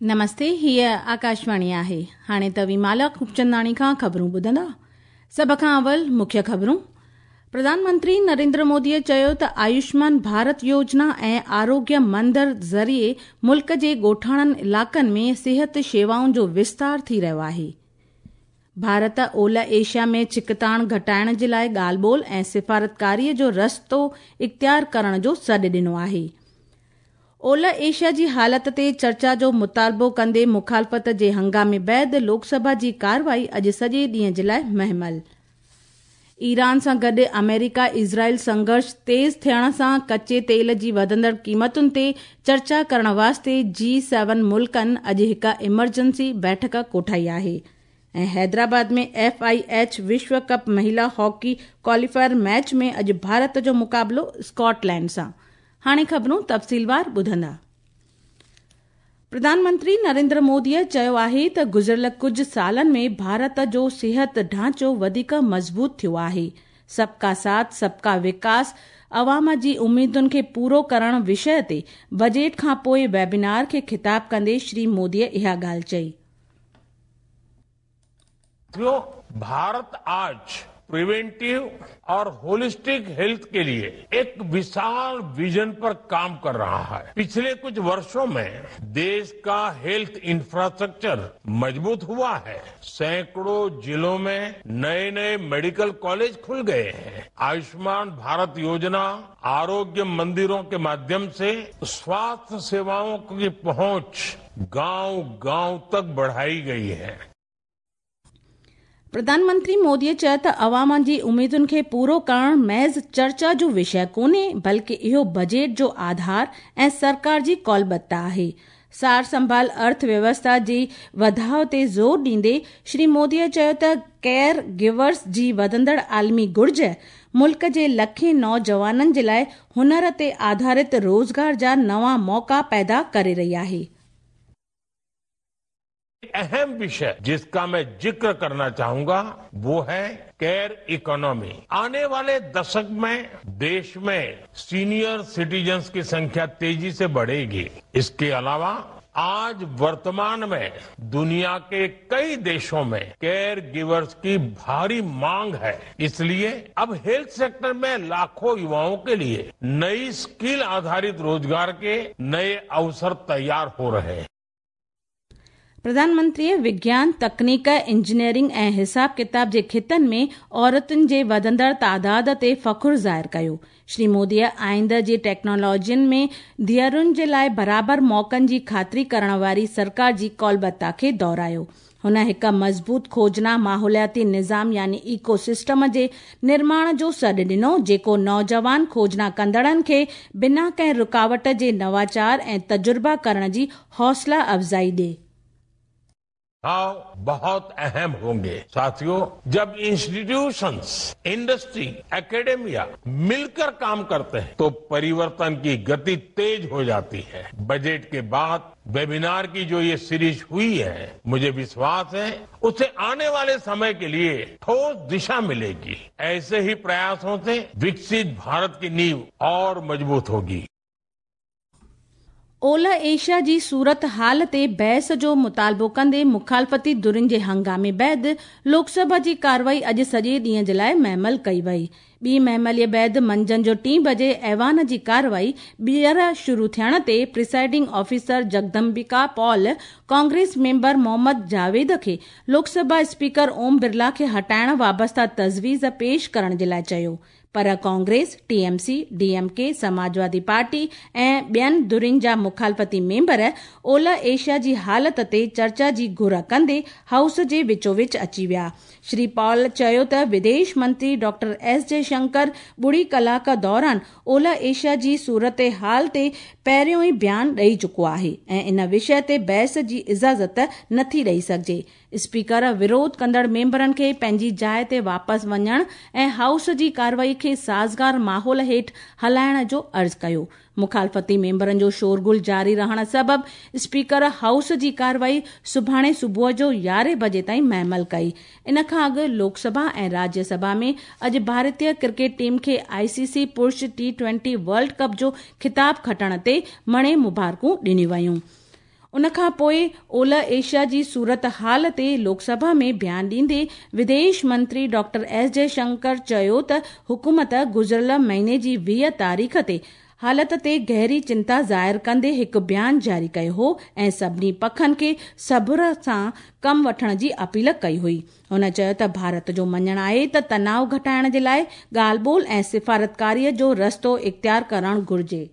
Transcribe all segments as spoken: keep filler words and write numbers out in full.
नमस्ते, हीअ आकाशवाणी आहे। हाणे तव्हीं माला खूबचंदाणी खां ख़बरूं ॿुधंदा। सभ खां अवल मुख्य ख़बरूं। प्रधानमंत्री नरेंद्र मोदीअ चयो त आयुष्मान भारत योजना ऐं आरोग्य मंदिर ज़रिए मुल्क जे ॻोठाणनि इलाइक़नि में सिहत शेवाउनि जो विस्तार थी रहियो आहे। भारत ओलह एशिया में छिकताण घटाइण जे लाइ ॻाल्हि ॿोल ऐं सिफारतकारीअ जो रस्तो इख़्तियार करण जो सॾु ॾिनो आहे। ओलह एशिया जी हालत ते चर्चा जो मुतालबो कंदे मुखालफ़त जे हंगामे बाद लोकसभा जी कार्रवाई अॼु सॼे ॾींहं जे लाइ महमल। ईरान सां गॾु अमेरिका इज़राइल संघर्ष तेज़ थियण सां कच्चे तेल जी वधंदड़ क़ीमतुनि ते चर्चा करण वास्ते जी सेवन मुल्कनि अॼु हिकु इमरजेंसी बैठक कोठाई आहे। ऐं हैदराबाद में एफ I H विश्व कप महिला हॉकी क्वालीफायर मैच में अॼु भारत जो मुक़ाबिलो स्कॉटलैंड सां। हाणे ख़बरूं तफ़सीलवार ॿुधंदा। प्रधानमंत्री नरेंद्र मोदीअ चयो आहे त गुज़िरियल कुझु सालनि में भारत जो सिहत ढांचो वधीक मज़बूत थियो आहे। सबका साथ सबका विकास अवाम जी उम्मीदुनि खे पूरो करण विषय ते बजट खां पोइ वेबिनार खे ख़िताब कंदे श्री मोदीअ इहा ॻाल्हि चई। भारत आज प्रिवेंटिव और होलिस्टिक हेल्थ के लिए एक विशाल विजन पर काम कर रहा है। पिछले कुछ वर्षों में देश का हेल्थ इंफ्रास्ट्रक्चर मजबूत हुआ है। सैकड़ों जिलों में नए नए मेडिकल कॉलेज खुल गए हैं। आयुष्मान भारत योजना, आरोग्य मंदिरों के माध्यम से स्वास्थ्य सेवाओं की पहुंच गांव-गांव तक बढ़ाई गई है। प्रधानमंत्री मोदीअ चयो त अवाम जी उम्मीदुनि खे पूरो करण महज़ चर्चा जो विषय कोन्हे, बल्कि इहो बजट जो आधार ऐं सरकार जी कौलबद्धता आहे। सार संभाल अर्थव्यवस्था जे वधाव ते ज़ोर ॾींदे श्री मोदीअ चयो त केयर गिवर्स जी वधंदड़ आलमी घुर्ज मुल्क जे लखें नौजवाननि जे लाइ हुनर ते आधारित रोज़गार जा नवां मौक़ा पैदा करे रही आहे। अहम विषय जिसका मैं जिक्र करना चाहूंगा वो है केयर इकोनॉमी। आने वाले दशक में देश में सीनियर सिटीजन्स की संख्या तेजी से बढ़ेगी। इसके अलावा आज वर्तमान में दुनिया के कई देशों में केयर गिवर्स की भारी मांग है। इसलिए अब हेल्थ सेक्टर में लाखों युवाओं के लिए नई स्किल आधारित रोजगार के नए अवसर तैयार हो रहे हैं। प्रधानमंत्रीअ विज्ञान, तकनीक, इंजीनियरिंग ऐं हिसाब किताब जे ख़ितनि में औरतुनि जे वधंदड़ तादाद ते फ़ख़ुरु ज़ाहिर कयो। श्री मोदीअ आईंदे जी टेक्नोलॉजियुनि में धीअरुनि जे लाइ बराबरि मौक़नि जी ख़ातिरी करण वारी सरकार जी कौलबद्धता खे दोहरायो। हुन हिकु मज़बूत खोजना माहौलियाती निज़ाम यानी इकोसिस्टम जे निर्माण जो सॾु ॾिनो, जेको नौजवान खोजना कंदड़नि खे बिना कंहिं रुकावट जे नवाचार ऐं तजुर्बा करण जी हौसला अफ़ज़ाई ॾिए। भाव बहुत अहम होंगे। साथियों, जब इंस्टीट्यूशंस, इंडस्ट्री, एकेडमिया मिलकर काम करते हैं तो परिवर्तन की गति तेज हो जाती है। बजट के बाद वेबिनार की जो ये सीरीज हुई है, मुझे विश्वास है उससे आने वाले समय के लिए ठोस दिशा मिलेगी। ऐसे ही प्रयासों से विकसित भारत की नींव और मजबूत होगी। ओलह एशिया जी सूरत हाल ते बहस जो मुतालबो कंदे मुखालफ़ती धुरियुनि जे हंगामे बाद लोकसभा जी कार्रवाई अॼु सॼे ॾींहं जे लाइ महमल कई वई। ॿी महमलीअ बाद मंझंदि जो टीं बजे ऐवान जी कार्रवाई ॿीहर शुरू थियण ते presiding officer Jagdambika Pal Congress member Mohammad Javed खे लोकसभा स्पीकर ओम बिरला खे हटाइण वाबस्ता तजवीज़ पेश करण जे लाइ चयो, पर Congress, TMC, DMK, Samajwadi party ऐं ॿियनि धुरियुनि जा मुखालफ़ती मेंबर ओलह एशिया जी हालत ते चर्चा जी घुर कंदे हाउस जे विचोविच अची विया। श्री पॉल चयो त विदेश मंत्री डॉक्टर एस जयशंकर ॿुड़ी कलाक दौरान ओलह एशिया जी सूरत हाल ते पहिरियों ई बयान ॾेई चुको आहे ऐं इन विषय ते बहस जी इजाज़त नथी ॾेई सघिजे। स्पीकर विरोध कंदड़ मेंबरनि खे पंहिंजी जाइ ते वापसि वञण ऐं हाउस जी कार्रवाई खे साज़गार माहौल हेठि हलाइण जो अर्ज़ु कयो। मुखालफ़ती मेंबरनि जो शोरगुल जारी रहण सबबि स्पीकर हाउस जी कार्रवाई सुभाणे सुबुह जो यारहें बजे ताईं महमल कई। इन खां अॻु लोकसभा ऐं राज्यसभा में अॼु भारतीय क्रिकेट टीम खे आईसीसी पुरुष टी ट्वेंटी वर्ल्ड कप जो ख़िताब खटण ते मणे मुबारकूं ॾिनियूं वयूं। ان खां पोइ ओलह एशिया जी सूरत हाल ते लोकसभा में बयान ॾींदे विदेश मंत्री डॉक्टर एस जयशंकर चयो त हुकूमत गुज़िरियल महीने जी वीह तारीख़ ते हालत ते गहरी चिंता ज़ाहिर कंदे हिकु बयान जारी कयो हो ऐं सभिनी पखनि खे सब्र सां कमु वठण जी अपील कई हुई। हुन चयो त भारत जो मञणु आहे त तनाव घटाइण जे लाइ ॻाल्हि ॿोल ऐं सिफारतकारीअ जो रस्तो इख़्तियार करणु घुरिजे।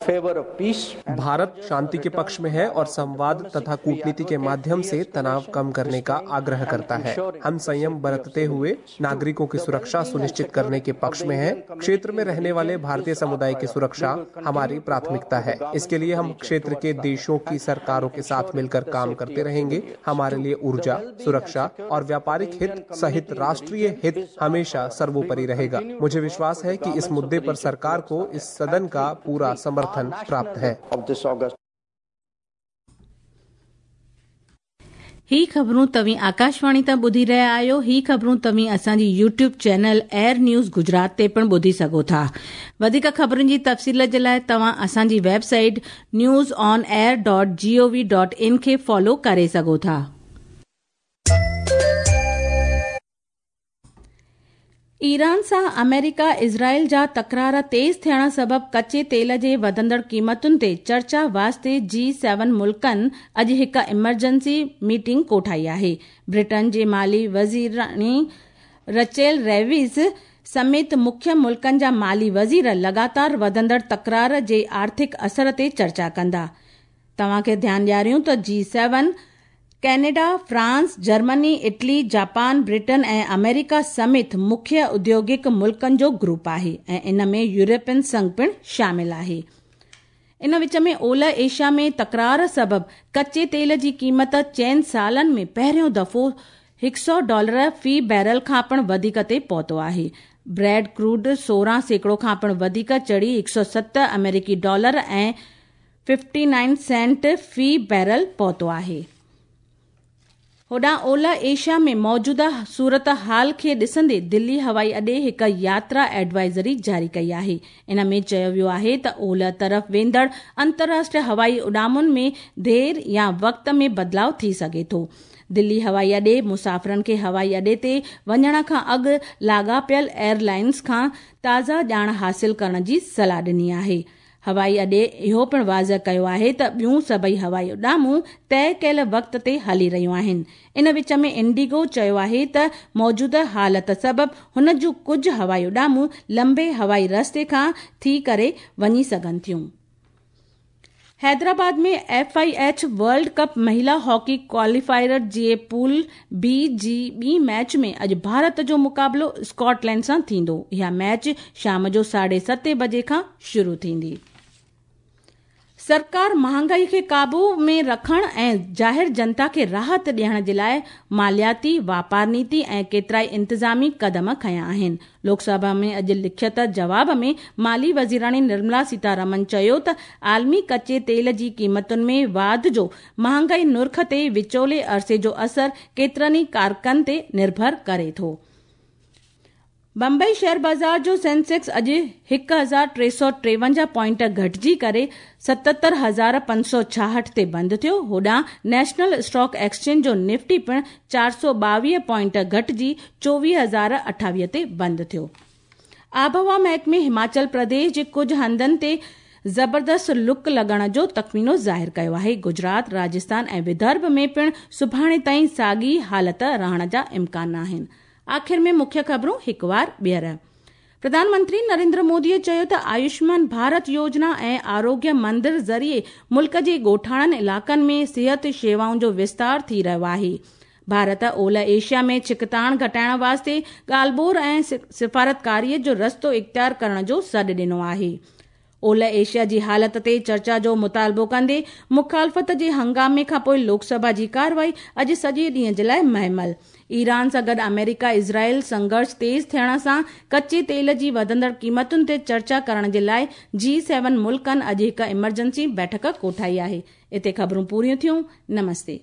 भारत शांति के पक्ष में है और संवाद तथा कूटनीति के माध्यम से तनाव कम करने का आग्रह करता है। हम संयम बरतते हुए नागरिकों की सुरक्षा सुनिश्चित करने के पक्ष में हैं। क्षेत्र में रहने वाले भारतीय समुदाय की सुरक्षा हमारी प्राथमिकता है। इसके लिए हम क्षेत्र के देशों की सरकारों के साथ मिलकर काम करते रहेंगे। हमारे लिए ऊर्जा, सुरक्षा और व्यापारिक हित सहित राष्ट्रीय हित हमेशा सर्वोपरि रहेगा। मुझे विश्वास है कि इस मुद्दे पर सरकार को इस सदन का पूरा समर्थन प्राप्त है। ही ख़बरूं तव्हीं आकाशवाणी तां ॿुधी रहिया आहियो। ही ख़बरूं तव्हीं असांजी YouTube channel air news Gujarat ते पिणु ॿुधी सघो था। वधीक ख़बरुनि जी तफ़सील जे लाइ तव्हां असांजी website news on air dot G O V dot in खे फॉलो करे सघो था। ईरान सां अमेरिका इज़राइल जा तकरार तेज़ थियण सबबि कच्चे तेल जे वधंदड़ क़ीमतुनि ते चर्चा वास्ते जी सेवन मुल्कनि अॼु हिकु इमरजेंसी मीटिंग कोठाई आहे। ब्रिटेन जे माली वज़ीराणी रचेल रेविस समेत मुख्य मुल्कनि जा माली वज़ीर लगातार वधंदड़ तकरार जे आर्थिक असर ते चर्चा कंदा। तव्हांखे ध्यानु ॾियारियूं त G seven Canada, France, Germany, Italy, Japan, Britain ऐं अमेरिका समेत मुख्य उद्योगिक मुल्कनि जो ग्रुप आहे ऐं इन में यूरोपियन संघ पिणु शामिल आहे। इन विच में ओलह एशिया में तकरार सबबि कच्चे तेल जी क़ीमत चइनि सालनि में पहिरियों दफ़ो हिकु सौ डॉलर फ़ी बैरल खां पिणु वधीक ते पहुतो आहे। ब्रेड क्रूड सोरहं सैकड़ो खां पिणु वधीक चढ़ी हिकु सौ सत अमेरिकी डॉलर ऐं फिफ्टी नाइन सेंट फ़ी बैरल पहुतो आहे। होॾां ओलह एशिया में मौजूदा सूरत हाल खे ॾिसंदे दिल्ली हवाई अॾे हिकु यात्रा एडवाइज़री जारी कई आहे। इन में चयो वियो आहे त ओलह तरफ़ वेंदड़ अंतर्राष्ट्रीय हवाई उॾामुनि में देरि या वक़्त में बदिलाव थी सघे थो। दिल्ली हवाई अॾे मुसाफ़िरनि खे हवाई अॾे ते वञण खां अॻु लाॻापियल एयरलाइंस खां ताज़ा ॼाण हासिल करण जी सलाह ॾिनी आहे। हवाई अॾे इहो पिणु वाज़िह कयो आहे त ॿियूं सभई हवाई उॾामूं तय कयल वक़्त ते हली रहियूं आहिनि। इन विच में इंडिगो चयो आहे त मौजूदा हालत सबबि हुन जूं कुझु हवाई उॾामूं लंबे हवाई रस्ते खां थी करे वञी सघनि थियूं। हैदराबाद में F I H world cup महिला हॉकी क्वालिफायर जे पूल बी जी ॿी मैच में अॼु भारत जो मुक़ाबिलो स्कॉटलैंड सां थींदो। इहा मैच शाम जो साढे सते बजे खां शुरू थींदी। सरकार महांगाई खे क़ाबू में रखण ऐं ज़ाहिर जनता खे राहत ॾियण जे लाइ मालियाती, वापार नीति ऐं केतिराई इंतिज़ामी कदम खयां आहिनि। लोकसभा में अॼु लिखित जवाब में माली वज़ीराणी निर्मला सीतारमन चयो त आलमी कच्चे तेल जी क़ीमतुनि में वाध जो महांगाई नुर्ख ते विचोले अरसे जो असर केतिरनि ई कारकनि ते निर्भर करे थो। बम्बई शेयर बाज़ार जो सेंसेक्स अॼु हिकु हज़ार टे सौ टेवंजाह पॉइंट घटिजी करे सतहतरि हज़ार पंज सौ छाहठि ते बंदि थियो। होॾां नेशनल स्टॉक एक्सचेंज जो निफ्टी पिणु चारि सौ ॿावीह पॉइंट घटिजी चोवीह हज़ार अठावीह ते बंदि थियो। आबहवा महकमे हिमाचल प्रदेश जे कुझु हंधनि ते ज़बरदस्त लुक लॻण जो तख़मीनो ज़ाहिर कयो आहे। गुजरात, राजस्थान ऐं विदर्भ में पिणु सुभाणे ताईं साॻी हालत रहण जा इम्कान आहिनि। आख़िर में मुख्य ख़बरूं हिकु वार ॿीहर। प्रधानमंत्री नरेंद्र मोदीअ चयो त आयुष्मान भारत योजना ऐं आरोग्य मंदिर ज़रिए मुल्क जे ॻोठाणनि इलाइक़नि में सिहत शेवाउनि जो विस्तार थी रहियो आहे। भारत ओलह एशिया में छिकताण घटाइण वास्ते ॻाल्हि ॿोल ऐं सिफारतकारीअ जो रस्तो इख़्तियार करण जो सॾु ॾिनो आहे। ओलह एशिया जी हालत ते चर्चा जो मुतालबो कंदे मुखालफ़त जे हंगामे खां पोइ लोकसभा जी कार्रवाई अॼु सॼे ॾींहं जे लाइ महमल। ईरान सां गॾु अमेरिका इज़राइल संघर्ष तेज़ थियण सां कच्चे तेल जी वधंदड़ क़ीमतुनि ते चर्चा करण जे लाइ जी सेवन मुल्कनि अॼु हिकु इमरजेंसी बैठक कोठाई आहे। हिते ख़बरूं पूरियूं थियूं। नमस्ते।